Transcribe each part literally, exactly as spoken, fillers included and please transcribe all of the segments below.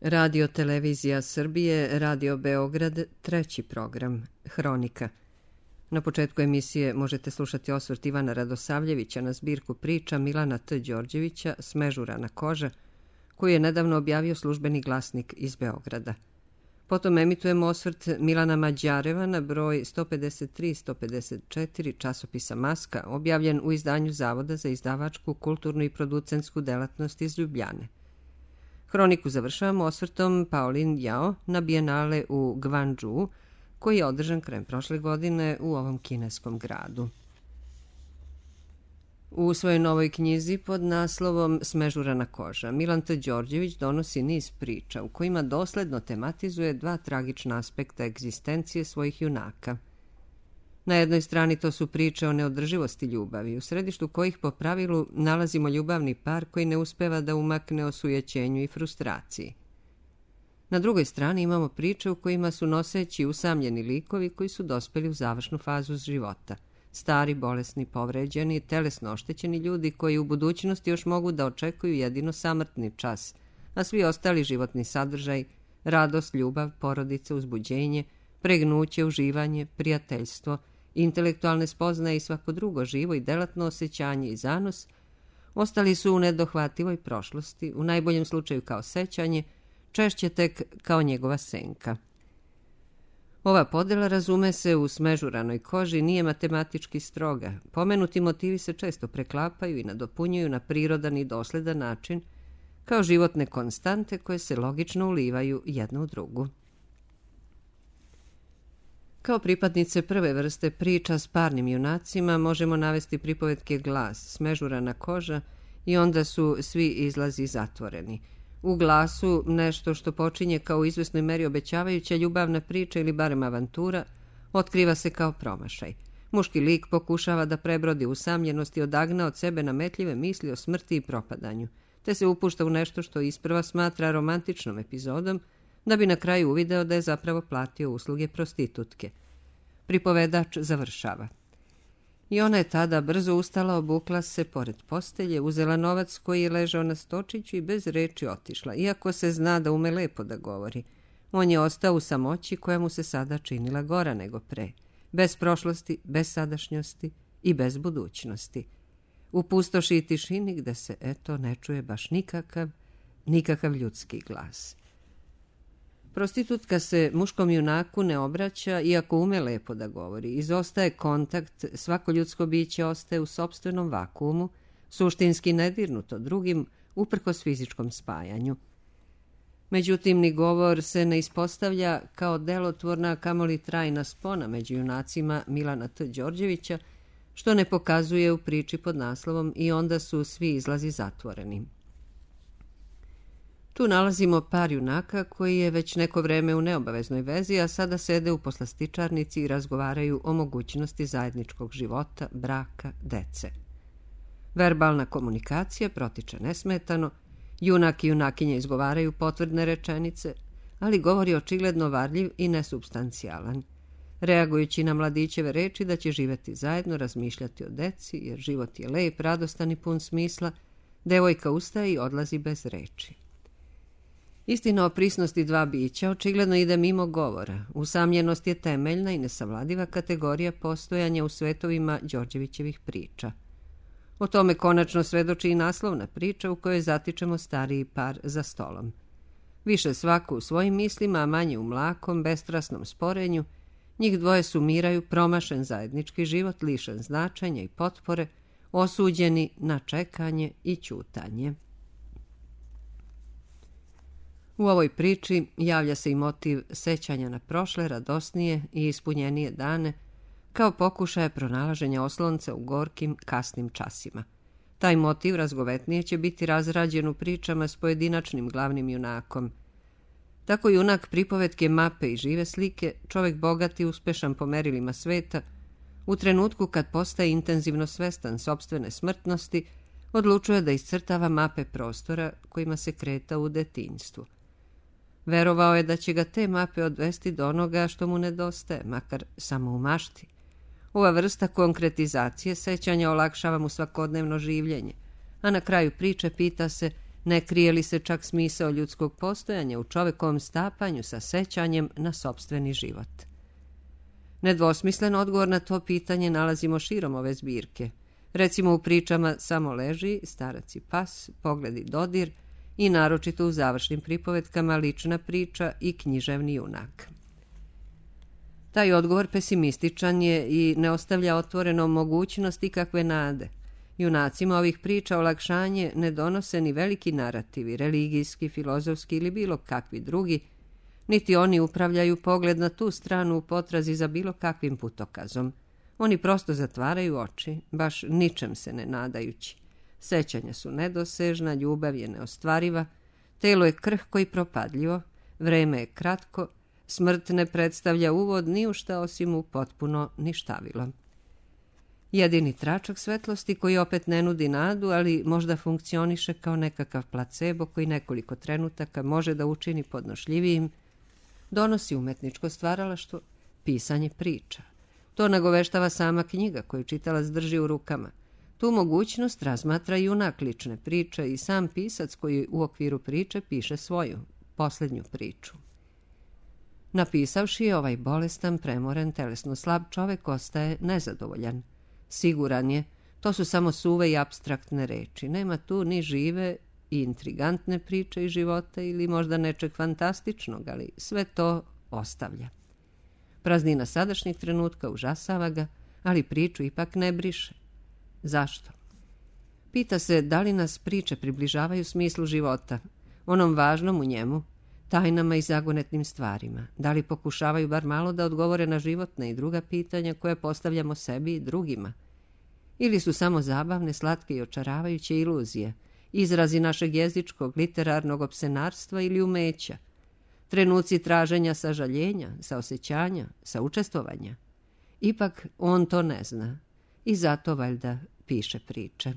Radio Televizija Srbije, Radio Beograd, treći program, Hronika. Na početku emisije možete slušati osvrt Ivana Radosavljevića na zbirku priča Milana T. Đorđevića Smežurana koža, koju je nedavno objavio Službeni glasnik iz Beograda. Potom emitujemo osvrt Milana Mađareva na broj sto pedeset tri sto pedeset četiri časopisa Maska, objavljen u izdanju Zavoda za izdavačku, kulturnu i producentsku delatnost iz Ljubljane. Hroniku završavamo osvrtom Paulin Jao na bijenale u Gvandžu, koji je održan krajem prošle godine u ovom kineskom gradu. U svojoj novoj knjizi pod naslovom Smežurana koža, Milan T. Đorđević donosi niz priča u kojima dosledno tematizuje dva tragična aspekta egzistencije svojih junaka. Na jednoj strani to su priče o neodrživosti ljubavi, u središtu kojih po pravilu nalazimo ljubavni par koji ne uspeva da umakne osujećenju i frustraciji. Na drugoj strani imamo priče u kojima su noseći usamljeni likovi koji su dospeli u završnu fazu života. Stari, bolesni, povređeni, telesno oštećeni ljudi koji u budućnosti još mogu da očekuju jedino samrtni čas, a svi ostali životni sadržaj, radost, ljubav, porodica, uzbuđenje, pregnuće, uživanje, prijateljstvo, intelektualne spoznaje i svako drugo živo i delatno osjećanje i zanos, ostali su u nedohvativoj prošlosti, u najboljem slučaju kao sećanje, češće tek kao njegova senka. Ova podela, razume se, u Smežuranoj koži nije matematički stroga. Pomenuti motivi se često preklapaju i nadopunjuju na prirodan i dosledan način, kao životne konstante koje se logično ulivaju jedna u drugu. Kao pripadnice prve vrste priča s parnim junacima možemo navesti pripovetke Glas, Smežurana koža i Onda su svi izlazi zatvoreni. U Glasu nešto što počinje kao u izvesnoj meri obećavajuća ljubavna priča ili barem avantura, otkriva se kao promašaj. Muški lik pokušava da prebrodi usamljenost i odagna od sebe nametljive misli o smrti i propadanju, te se upušta u nešto što isprva smatra romantičnom epizodom, da bi na kraju uvideo da je zapravo platio usluge prostitutke. Pripovedač završava. I ona je tada brzo ustala, obukla se pored postelje, uzela novac koji je ležao na stočiću i bez reči otišla, iako se zna da ume lepo da govori. On je ostao u samoći koja mu se sada činila gora nego pre, bez prošlosti, bez sadašnjosti i bez budućnosti. U pustoši i tišini gde se, eto, ne čuje baš nikakav, nikakav ljudski glas. Prostitutka se muškom junaku ne obraća, iako ume lepo da govori. Izostaje kontakt, svako ljudsko biće ostaje u sopstvenom vakuumu, suštinski nedirnuto drugim, uprkos fizičkom spajanju. Međutim, ni govor se ne ispostavlja kao delotvorna, kamoli trajna spona među junacima Milana T. Đorđevića, što ne pokazuje u priči pod naslovom I onda su svi izlazi zatvoreni. Tu nalazimo par junaka koji je već neko vreme u neobaveznoj vezi, a sada sede u poslastičarnici i razgovaraju o mogućnosti zajedničkog života, braka, dece. Verbalna komunikacija protiče nesmetano, junak i junakinja izgovaraju potvrdne rečenice, ali govor je očigledno varljiv i nesupstancijalan. Reagujući na mladićeve reči da će živeti zajedno, razmišljati o deci, jer život je lep, radostan i pun smisla, devojka ustaje i odlazi bez reči. Istina o prisnosti dva bića očigledno ide mimo govora. Usamljenost je temeljna i nesavladiva kategorija postojanja u svetovima Đorđevićevih priča. O tome konačno svedoči i naslovna priča u kojoj zatičemo stariji par za stolom. Više svako u svojim mislima, a manje u mlakom, bestrasnom sporenju, njih dvoje sumiraju promašen zajednički život, lišen značenja i potpore, osuđeni na čekanje i ćutanje. U ovoj priči javlja se i motiv sećanja na prošle, radosnije i ispunjenije dane, kao pokušaja pronalaženja oslonca u gorkim, kasnim časima. Taj motiv razgovetnije će biti razrađen u pričama s pojedinačnim glavnim junakom. Tako junak pripovetke Mape i žive slike, čovek bogat i uspešan po merilima sveta, u trenutku kad postaje intenzivno svestan sopstvene smrtnosti, odlučuje da iscrtava mape prostora kojima se kretao u detinjstvu. Verovao je da će ga te mape odvesti do onoga što mu nedostaje, makar samo u mašti. Ova vrsta konkretizacije sećanja olakšava mu svakodnevno življenje, a na kraju priče pita se Ne krije li se čak smisao ljudskog postojanja u čovekovom stapanju sa sećanjem na sopstveni život? Nedvosmislen odgovor na to pitanje nalazimo širom ove zbirke. Recimo u pričama Samo leži, Starac i pas, Pogled i dodir i naročito u završnim pripovetkama Lična priča i Književni junak. Taj odgovor pesimističan je i ne ostavlja otvorenom mogućnost ikakve nade. Junacima ovih priča olakšanje ne donose ni veliki narativi, religijski, filozofski ili bilo kakvi drugi, niti oni upravljaju pogled na tu stranu u potrazi za bilo kakvim putokazom. Oni prosto zatvaraju oči, baš ničem se ne nadajući. Sećanja su nedosežna, ljubav je neostvariva, telo je krhko i propadljivo, vreme je kratko, smrt ne predstavlja uvod ni u šta osim u potpuno ništavilo. Jedini tračak svetlosti koji opet ne nudi nadu, ali možda funkcioniše kao nekakav placebo koji nekoliko trenutaka može da učini podnošljivijim, donosi umetničko stvaralaštvo, pisanje priča. To nagoveštava sama knjiga koju čitalac drži u rukama. Tu mogućnost razmatra junak lične priče i sam pisac koji u okviru priče piše svoju, posljednju priču. Napisavši ovaj bolestan, premoren, telesno slab čovek ostaje nezadovoljan. Siguran je, to su samo suve i apstraktne reči. Nema tu ni žive i intrigantne priče iz života ili možda nečeg fantastičnog, ali sve to ostavlja. Praznina sadašnjeg trenutka užasava ga, ali priču ipak ne briše. Zašto? Pita se da li nas priče približavaju smislu života, onom važnom u njemu, tajnama i zagonetnim stvarima. Da li pokušavaju bar malo da odgovore na životna i druga pitanja koje postavljamo sebi i drugima? Ili su samo zabavne, slatke i očaravajuće iluzije, izrazi našeg jezičkog, literarnog opsenarstva ili umeća, trenuci traženja sažaljenja, saosećanja, saučestvovanja? Ipak on to ne zna i zato valjda piše priče.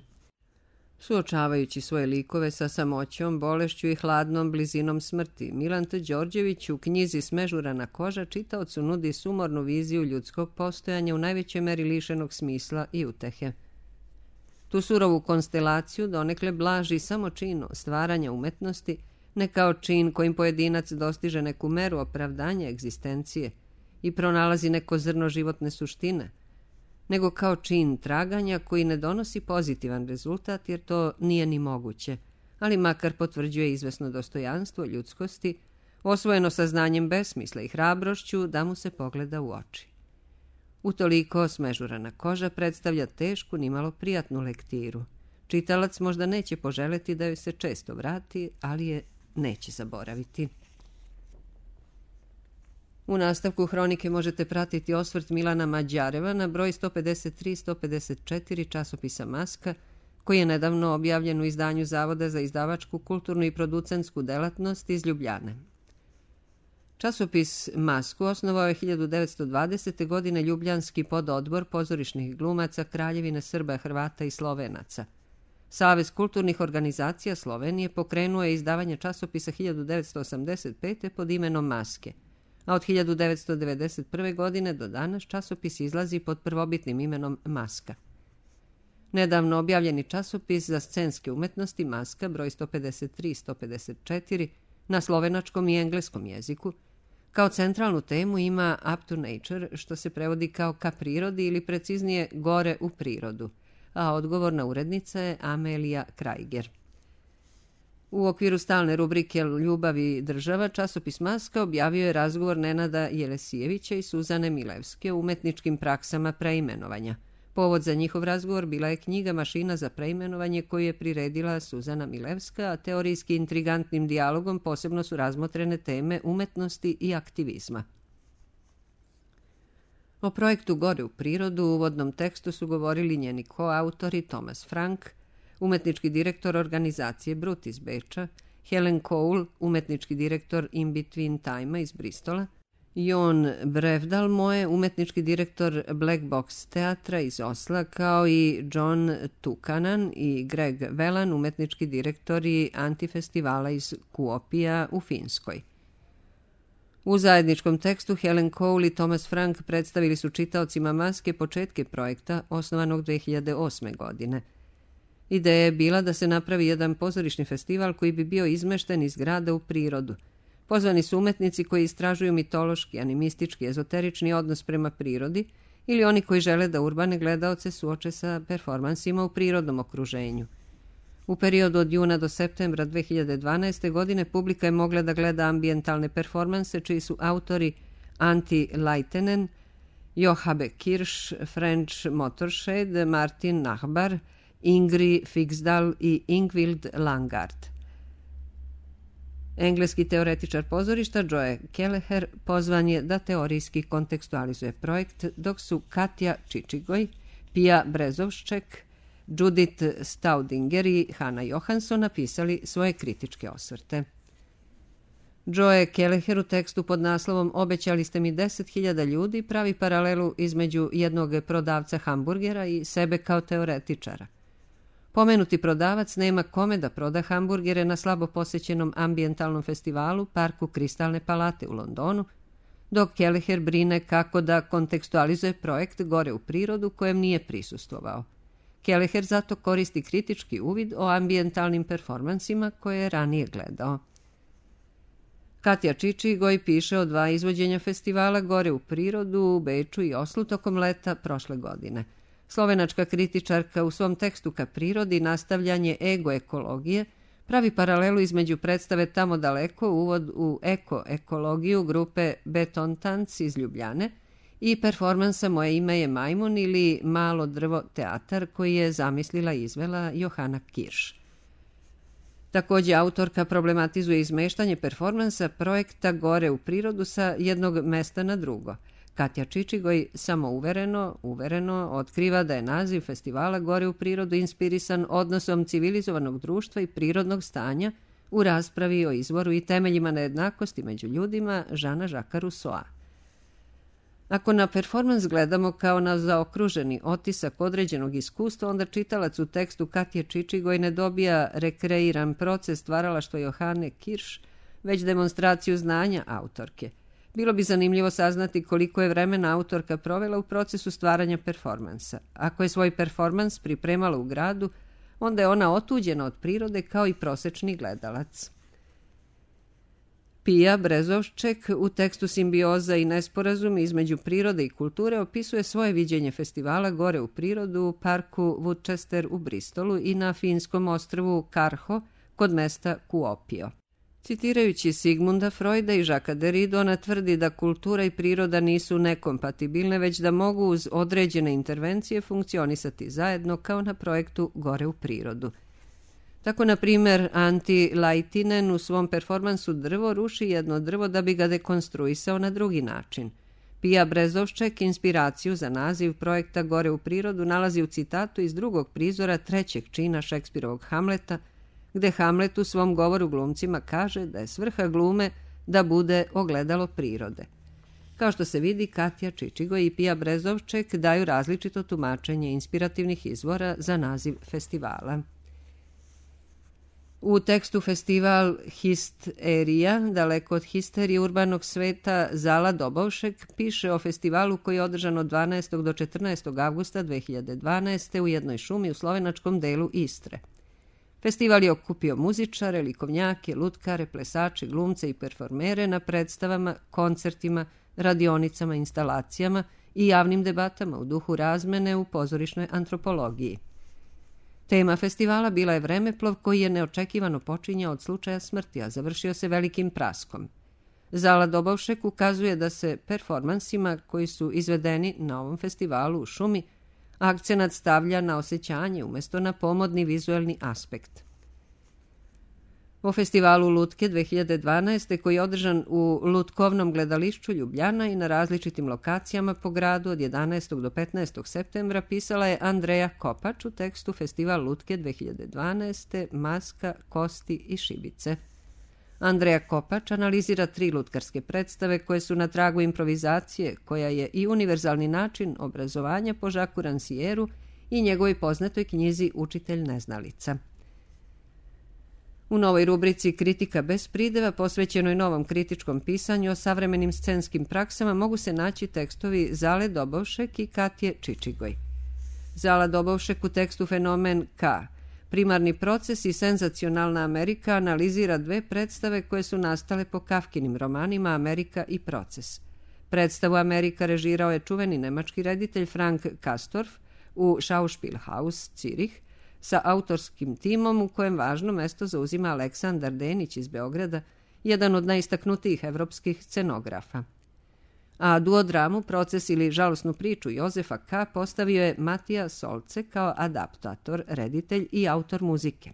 Suočavajući svoje likove sa samoćom, bolešću i hladnom blizinom smrti, Milan T. Đorđević u knjizi Smežurana koža čitaocu nudi sumornu viziju ljudskog postojanja u najvećoj meri lišenog smisla i utehe. Tu surovu konstelaciju donekle blaži samo čin stvaranja umetnosti, ne kao čin kojim pojedinac dostiže neku meru opravdanja egzistencije i pronalazi neko zrno životne suštine, nego kao čin traganja koji ne donosi pozitivan rezultat jer to nije ni moguće, ali makar potvrđuje izvesno dostojanstvo ljudskosti, osvojeno saznanjem besmisla i hrabrošću da mu se pogleda u oči. Utoliko Smežurana koža predstavlja tešku, nimalo prijatnu lektiru. Čitalac možda neće poželeti da joj se često vrati, ali je neće zaboraviti. U nastavku hronike možete pratiti osvrt Milana Mađareva na broj sto pedeset tri sto pedeset četiri časopisa Maska, koji je nedavno objavljen u izdanju Zavoda za izdavačku, kulturnu i producentsku delatnost iz Ljubljane. Časopis Masku osnovao je hiljadu devetsto dvadesete. godine ljubljanski pododbor pozorišnih glumaca Kraljevine Srba, Hrvata i Slovenaca. Savez kulturnih organizacija Slovenije pokrenuo je izdavanje časopisa hiljadu devetsto osamdeset pete. pod imenom Maske, a od hiljadu devetsto devedeset prve. godine do danas časopis izlazi pod prvobitnim imenom Maska. Nedavno objavljeni časopis za scenske umetnosti Maska, broj sto pedeset tri sto pedeset četiri, na slovenačkom i engleskom jeziku, kao centralnu temu ima Up to Nature, što se prevodi kao ka prirodi ili preciznije gore u prirodu, a odgovorna urednica je Amelija Krajger. U okviru stalne rubrike Ljubav i država, časopis Maska objavio je razgovor Nenada Jelesijevića i Suzane Milevske o umetničkim praksama preimenovanja. Povod za njihov razgovor bila je knjiga Mašina za preimenovanje koju je priredila Suzana Milevska, a teorijski intrigantnim dijalogom posebno su razmotrene teme umetnosti i aktivizma. O projektu Gore u prirodu u uvodnom tekstu su govorili njeni koautori Thomas Frank, umetnički direktor organizacije Brut iz Beča, Helen Cole, umetnički direktor In Between Time iz Bristola, Jon Brevdalmoe, umetnički direktor Black Box teatra iz Osla, kao i John Tukanan i Greg Velan, umetnički direktori Antifestivala iz Kuopija u Finskoj. U zajedničkom tekstu Helen Cole i Thomas Frank predstavili su čitaocima Maske početke projekta osnovanog dve hiljade osme. godine. Ideja je bila da se napravi jedan pozorišni festival koji bi bio izmešten iz grada u prirodu. Pozvani su umetnici koji istražuju mitološki, animistički, ezoterični odnos prema prirodi ili oni koji žele da urbane gledaoce suoče sa performansima u prirodnom okruženju. U periodu od juna do septembra dve hiljade dvanaeste. godine publika je mogla da gleda ambijentalne performanse čiji su autori Antti Laitinen, Johabe Kirsch, French Motorshed, Martin Nachbar, Ingrid Fiksdal i Ingvild Langard. Engleski teoretičar pozorišta Joe Kelleher pozvan je da teorijski kontekstualizuje projekt, dok su Katja Čičigoj, Pia Brezovšček, Judith Staudinger i Hanna Johansson napisali svoje kritičke osvrte. Joe Kelleher u tekstu pod naslovom Obećali ste mi deset hiljada ljudi pravi paralelu između jednog prodavca hamburgera i sebe kao teoretičara. Pomenuti prodavac nema kome da proda hamburgere na slabo posećenom ambijentalnom festivalu Parku Kristalne palate u Londonu, dok Kelleher brine kako da kontekstualizuje projekt Gore u prirodu kojem nije prisustvovao. Kelleher zato koristi kritički uvid o ambijentalnim performansima koje je ranije gledao. Katja Čičigoj piše o dva izvođenja festivala Gore u prirodu u Beču i Oslu tokom leta prošle godine. Slovenačka kritičarka u svom tekstu ka prirodi nastavljanje ego-ekologije pravi paralelu između predstave Tamo daleko, uvod u eko-ekologiju grupe Beton Tanc iz Ljubljane i performansa Moje ime je majmun ili Malo drvo teatar koji je zamislila i izvela Johanna Kirsch. Također autorka problematizuje izmeštanje performansa projekta Gore u prirodu sa jednog mesta na drugo. Katja Čičigoj samouvereno, uvereno otkriva da je naziv festivala Gore u prirodu inspirisan odnosom civilizovanog društva i prirodnog stanja u raspravi o izvoru i temeljima nejednakosti među ljudima Žana Žaka Rusoa. Ako na performans gledamo kao na zaokruženi otisak određenog iskustva, onda čitalac u tekstu Katje Čičigoj ne dobija rekreiran proces stvaralaštva Johane Kirsch, već demonstraciju znanja autorke. Bilo bi zanimljivo saznati koliko je vremena autorka provela u procesu stvaranja performansa. Ako je svoj performans pripremala u gradu, onda je ona otuđena od prirode kao i prosečni gledalac. Pia Brezovšček u tekstu Simbioza i nesporazum između prirode i kulture opisuje svoje viđenje festivala Gore u prirodu u parku Woodchester u Bristolu i na finskom ostrvu Karho kod mesta Kuopio. Citirajući Sigmunda Freuda i Jacquesa Derrida, ona tvrdi da kultura i priroda nisu nekompatibilne, već da mogu uz određene intervencije funkcionisati zajedno kao na projektu Gore u prirodu. Tako, na primjer, Antti Laitinen u svom performansu Drvo ruši jedno drvo da bi ga dekonstruisao na drugi način. Pia Brezovšček inspiraciju za naziv projekta Gore u prirodu nalazi u citatu iz drugog prizora trećeg čina Šekspirovog Hamleta, gde Hamlet u svom govoru glumcima kaže da je svrha glume da bude ogledalo prirode. Kao što se vidi, Katja Čičigoj i Pia Brezovšček daju različito tumačenje inspirativnih izvora za naziv festivala. U tekstu festival Histerija, daleko od histerije urbanog sveta, Zala Dobovšek piše o festivalu koji je održan od dvanaestog do četrnaestog avgusta dve hiljade dvanaeste. u jednoj šumi u slovenačkom delu Istre. Festival je okupio muzičare, likovnjake, lutkare, plesače, glumce i performere na predstavama, koncertima, radionicama, instalacijama i javnim debatama u duhu razmene u pozorišnoj antropologiji. Tema festivala bila je vremeplov koji je neočekivano počinjao od slučaja smrti, a završio se velikim praskom. Zala Dobovšek ukazuje da se performansima koji su izvedeni na ovom festivalu u šumi akcenat stavlja na osjećanje umjesto na pomodni vizuelni aspekt. O festivalu Lutke dve hiljade dvanaeste. koji je održan u Lutkovnom gledališću Ljubljana i na različitim lokacijama po gradu od jedanaestog do petnaestog septembra pisala je Andreja Kopač u tekstu Festival Lutke dve hiljade dvanaeste. Maska, kosti i šibice. Andreja Kopač analizira tri lutkarske predstave koje su na tragu improvizacije, koja je i univerzalni način obrazovanja po Jacquesu Rancièru i njegovoj poznatoj knjizi Učitelj neznalica. U novoj rubrici Kritika bez prideva, posvećenoj novom kritičkom pisanju o savremenim scenskim praksama, mogu se naći tekstovi Zale Dobovšek i Katje Čičigoj. Zala Dobovšek u tekstu Fenomen K. primarni proces i senzacionalna Amerika analizira dve predstave koje su nastale po Kafkinim romanima Amerika i proces. Predstavu Amerika režirao je čuveni nemački reditelj Frank Castorf u Schauspielhaus Cirih sa autorskim timom u kojem važno mesto zauzima Aleksandar Denić iz Beograda, jedan od najistaknutijih evropskih scenografa. A duodramu Proces ili žalosnu priču Jozefa K. postavio je Matija Solce kao adaptator, reditelj i autor muzike.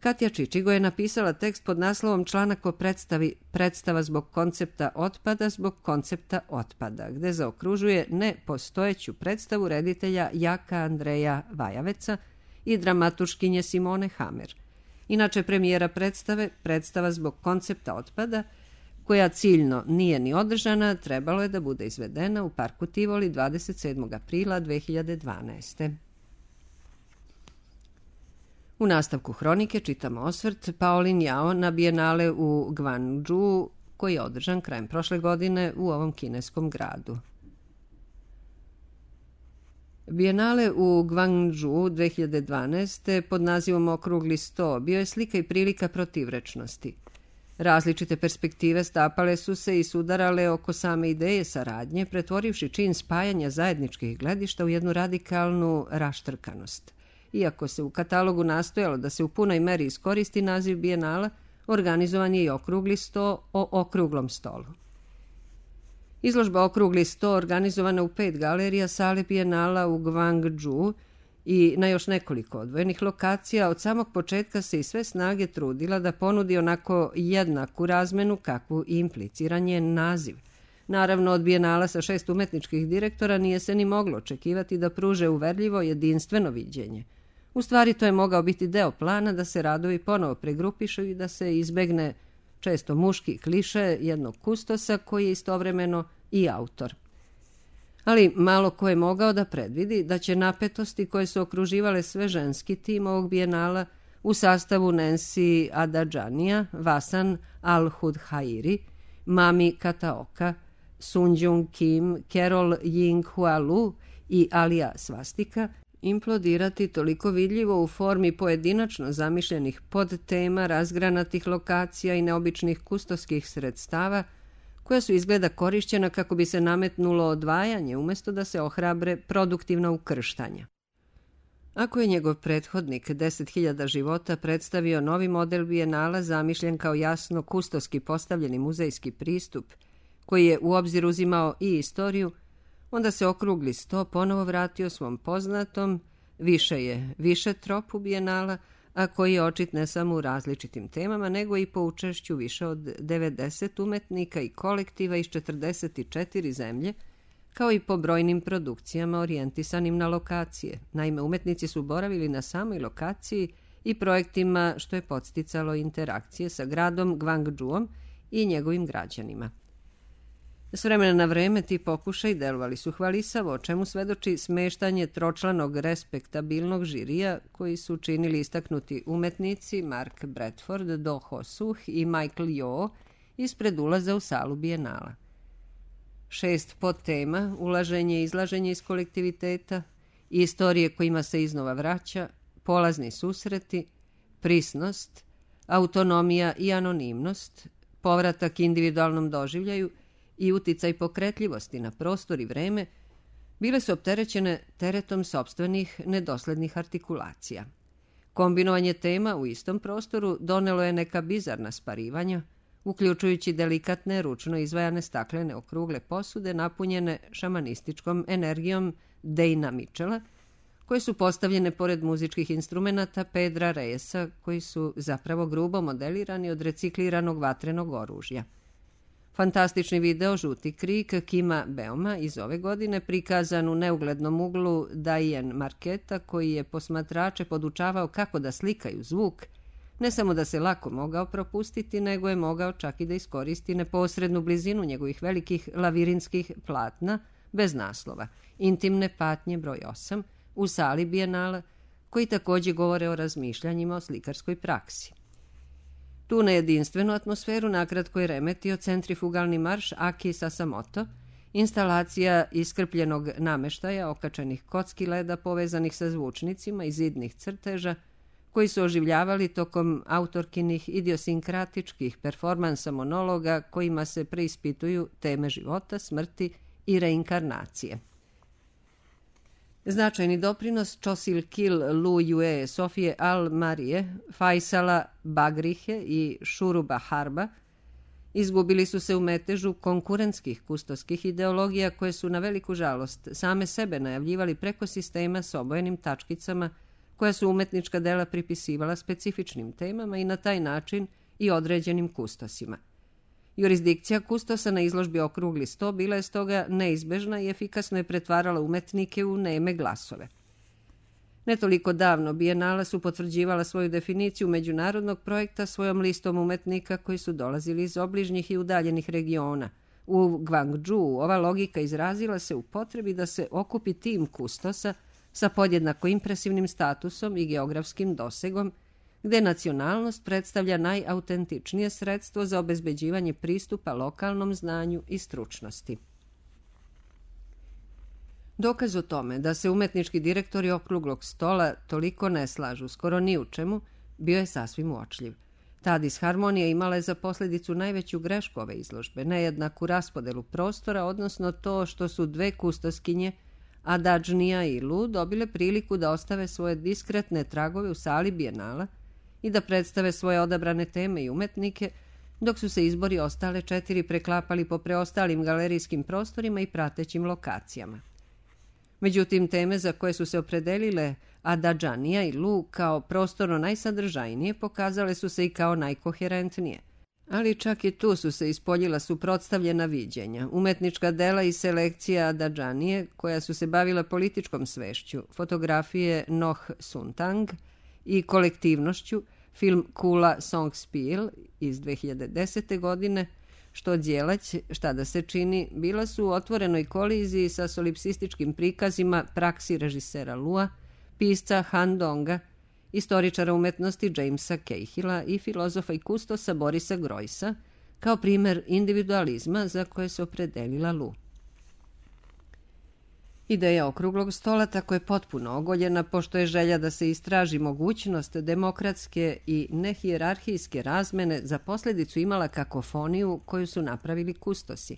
Katja Čičigo je napisala tekst pod naslovom Članak o predstavi Predstava zbog koncepta otpada zbog koncepta otpada, gde zaokružuje nepostojeću predstavu reditelja Jaka Andreja Vajaveca i dramaturškinje Simone Hamer. Inače, premijera predstave Predstava zbog koncepta otpada, koja ciljno nije ni održana, trebalo je da bude izvedena u Parku Tivoli dvadeset sedmog aprila dve hiljade dvanaeste. U nastavku hronike čitamo osvrt Paolin Jao na Bijenale u Gvangdžu, koji je održan krajem prošle godine u ovom kineskom gradu. Bijenale u Gvangdžu dve hiljade dvanaeste pod nazivom Okrugli sto bio je slika i prilika protivrečnosti. Različite perspektive stapale su se i sudarale oko same ideje saradnje, pretvorivši čin spajanja zajedničkih gledišta u jednu radikalnu raštrkanost. Iako se u katalogu nastojalo da se u punoj meri iskoristi naziv Bijenala, organizovan je i Okrugli sto o okruglom stolu. Izložba Okrugli sto organizovana u pet galerija sale Bijenala u Gvangdžu i na još nekoliko odvojenih lokacija od samog početka se i sve snage trudila da ponudi onako jednaku razmenu kakvu implicira njen naziv. Naravno, od Bijenala sa šest umetničkih direktora nije se ni moglo očekivati da pruže uverljivo jedinstveno viđenje. U stvari, to je mogao biti deo plana da se radovi ponovo pregrupišu i da se izbegne često muški kliše jednog kustosa koji je istovremeno i autor. Ali malo ko je mogao da predvidi da će napetosti koje su okruživale sve ženski tim ovog Bijenala u sastavu Nancy Adadžanija, Vasan Al-Hudhairi, Mami Kataoka, Sunjung Kim, Carol Ying Hua Lu i Alija Svastika implodirati toliko vidljivo u formi pojedinačno zamišljenih podtema, razgranatih lokacija i neobičnih kustoskih sredstava, koja su izgleda korišćena kako bi se nametnulo odvajanje umjesto da se ohrabre produktivna ukrštanja. Ako je njegov prethodnik deset hiljada života predstavio novi model Bijenala zamišljen kao jasno kustoski postavljeni muzejski pristup, koji je u obzir uzimao i istoriju, onda se Okrugli sto ponovo vratio svom poznatom, više je više tropu Bijenala, a koji je očit ne samo u različitim temama, nego i po učešću više od devedeset umetnika i kolektiva iz četrdeset četiri zemlje, kao i po brojnim produkcijama orijentisanim na lokacije. Naime, umetnici su boravili na samoj lokaciji i projektima što je podsticalo interakcije sa gradom Gvangdžuom i njegovim građanima. S vremena na vreme ti pokušaj delovali su hvalisavo, o čemu svedoči smeštanje tročlanog respektabilnog žirija koji su činili istaknuti umetnici Mark Bradford, Do Ho Suh i Michael Yeoh ispred ulaza u salu Bijenala. Šest podtema, ulaženje i izlaženje iz kolektiviteta, istorije kojima se iznova vraća, polazni susreti, prisnost, autonomija i anonimnost, povratak individualnom doživljaju i uticaj pokretljivosti na prostor i vreme, bile su opterećene teretom sopstvenih nedoslednih artikulacija. Kombinovanje tema u istom prostoru donelo je neka bizarna sparivanja, uključujući delikatne, ručno izvajane staklene okrugle posude napunjene šamanističkom energijom Dejna Mitchella, koje su postavljene pored muzičkih instrumenata Pedra Reyesa, koji su zapravo grubo modelirani od recikliranog vatrenog oružja. Fantastični video Žuti krik Kima Beoma iz ove godine, prikazan u neuglednom uglu Diane Marketa, koji je posmatrače podučavao kako da slikaju zvuk, ne samo da se lako mogao propustiti, nego je mogao čak i da iskoristi neposrednu blizinu njegovih velikih lavirinskih platna bez naslova, Intimne patnje broj osam, u sali Bijenala, koji također govore o razmišljanjima o slikarskoj praksi. Tu na jedinstvenu atmosferu nakratko je remetio centrifugalni marš Aki Sasamoto instalacija iskrpljenog nameštaja, okačenih kocki leda povezanih sa zvučnicima i zidnih crteža, koji su oživljavali tokom autorkinih idiosinkratičkih performansa monologa kojima se preispituju teme života, smrti i reinkarnacije. Značajni doprinos Çosil Kil Lu Yue, Sofije Al Marije, Faisala Bagrihe i Šuruba Harba izgubili su se u metežu konkurentskih kustoskih ideologija koje su na veliku žalost same sebe najavljivali preko sistema s obojenim tačkicama koja su umetnička dela pripisivala specifičnim temama i na taj način i određenim kustosima. Jurisdikcija kustosa na izložbi Okrugli sto bila je stoga neizbežna i efikasno je pretvarala umetnike u neme glasove. Ne toliko davno Bijenala su potvrđivala svoju definiciju međunarodnog projekta svojom listom umetnika koji su dolazili iz obližnjih i udaljenih regiona. U Gvangdžu ova logika izrazila se u potrebi da se okupi tim kustosa sa podjednako impresivnim statusom i geografskim dosegom, gde nacionalnost predstavlja najautentičnije sredstvo za obezbeđivanje pristupa lokalnom znanju i stručnosti. Dokaz o tome da se umetnički direktori Okruglog stola toliko ne slažu skoro ni u čemu, bio je sasvim uočljiv. Ta disharmonija imala je za posljedicu najveću grešku ove izložbe, nejednaku raspodelu prostora, odnosno to što su dve kustoskinje, Adadžnija i Lu, dobile priliku da ostave svoje diskretne tragove u sali Bijenala i da predstave svoje odabrane teme i umetnike, dok su se izbori ostale četiri preklapali po preostalim galerijskim prostorima i pratećim lokacijama. Međutim, teme za koje su se opredelile Adadžanija i Lu kao prostorno najsadržajnije pokazale su se i kao najkoherentnije. Ali čak i tu su se ispoljila suprotstavljena viđenja. Umetnička dela i selekcija Adadžanije, koja su se bavila političkom svešću, fotografije Noh Suntang i kolektivnošću, film Kula Songspiel iz dve hiljade desete. godine, Što djelać, šta da se čini, bila su u otvorenoj koliziji sa solipsističkim prikazima praksi režisera Lua, pisca Han Donga, istoričara umetnosti Jamesa Cahilla i filozofa i kustosa Borisa Grojsa, kao primer individualizma za koje se opredelila Lu. Ideja Okruglog stola tako je potpuno ogoljena, pošto je želja da se istraži mogućnost demokratske i nehijerarhijske razmene za posljedicu imala kakofoniju koju su napravili kustosi,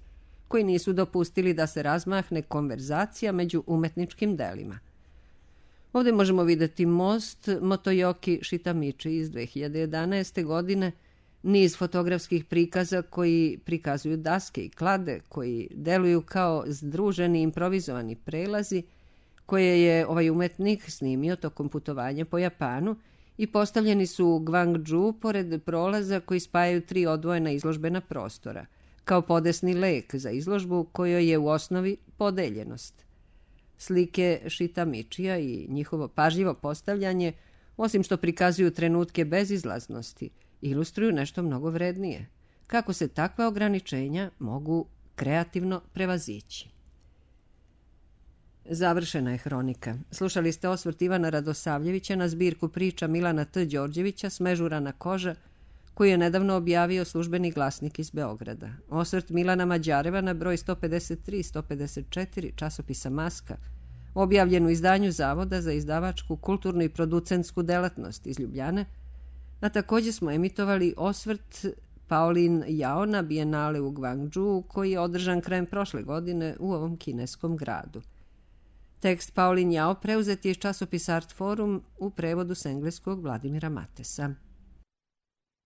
koji nisu dopustili da se razmahne konverzacija među umetničkim delima. Ovdje možemo vidjeti most Motoyoki Shitamichi iz dve hiljade jedanaeste. godine, niz fotografskih prikaza koji prikazuju daske i klade, koji deluju kao združeni improvizovani prelazi, koje je ovaj umetnik snimio tokom putovanja po Japanu i postavljeni su u Gvangdžu pored prolaza koji spajaju tri odvojena izložbena prostora, kao podesni lek za izložbu kojoj je u osnovi podeljenost. Slike Shitamichija i njihovo pažljivo postavljanje, osim što prikazuju trenutke bezizlaznosti, ilustruju nešto mnogo vrednije. Kako se takva ograničenja mogu kreativno prevazići. Završena je hronika. Slušali ste osvrt Ivana Radosavljevića na zbirku priča Milana T. Đorđevića Smežurana koža, koju je nedavno objavio Službeni glasnik iz Beograda. Osvrt Milana Mađareva na broj sto pedeset tri sto pedeset četiri časopisa Maska, objavljen u izdanju Zavoda za izdavačku, kulturnu i producentsku delatnost iz Ljubljane, a također smo emitovali osvrt Paulin Jao na Bijenale u Gvangdžu, koji je održan krajem prošle godine u ovom kineskom gradu. Tekst Paulin Jao preuzet je iz časopisa Art Forum u prevodu s engleskog Vladimira Matesa.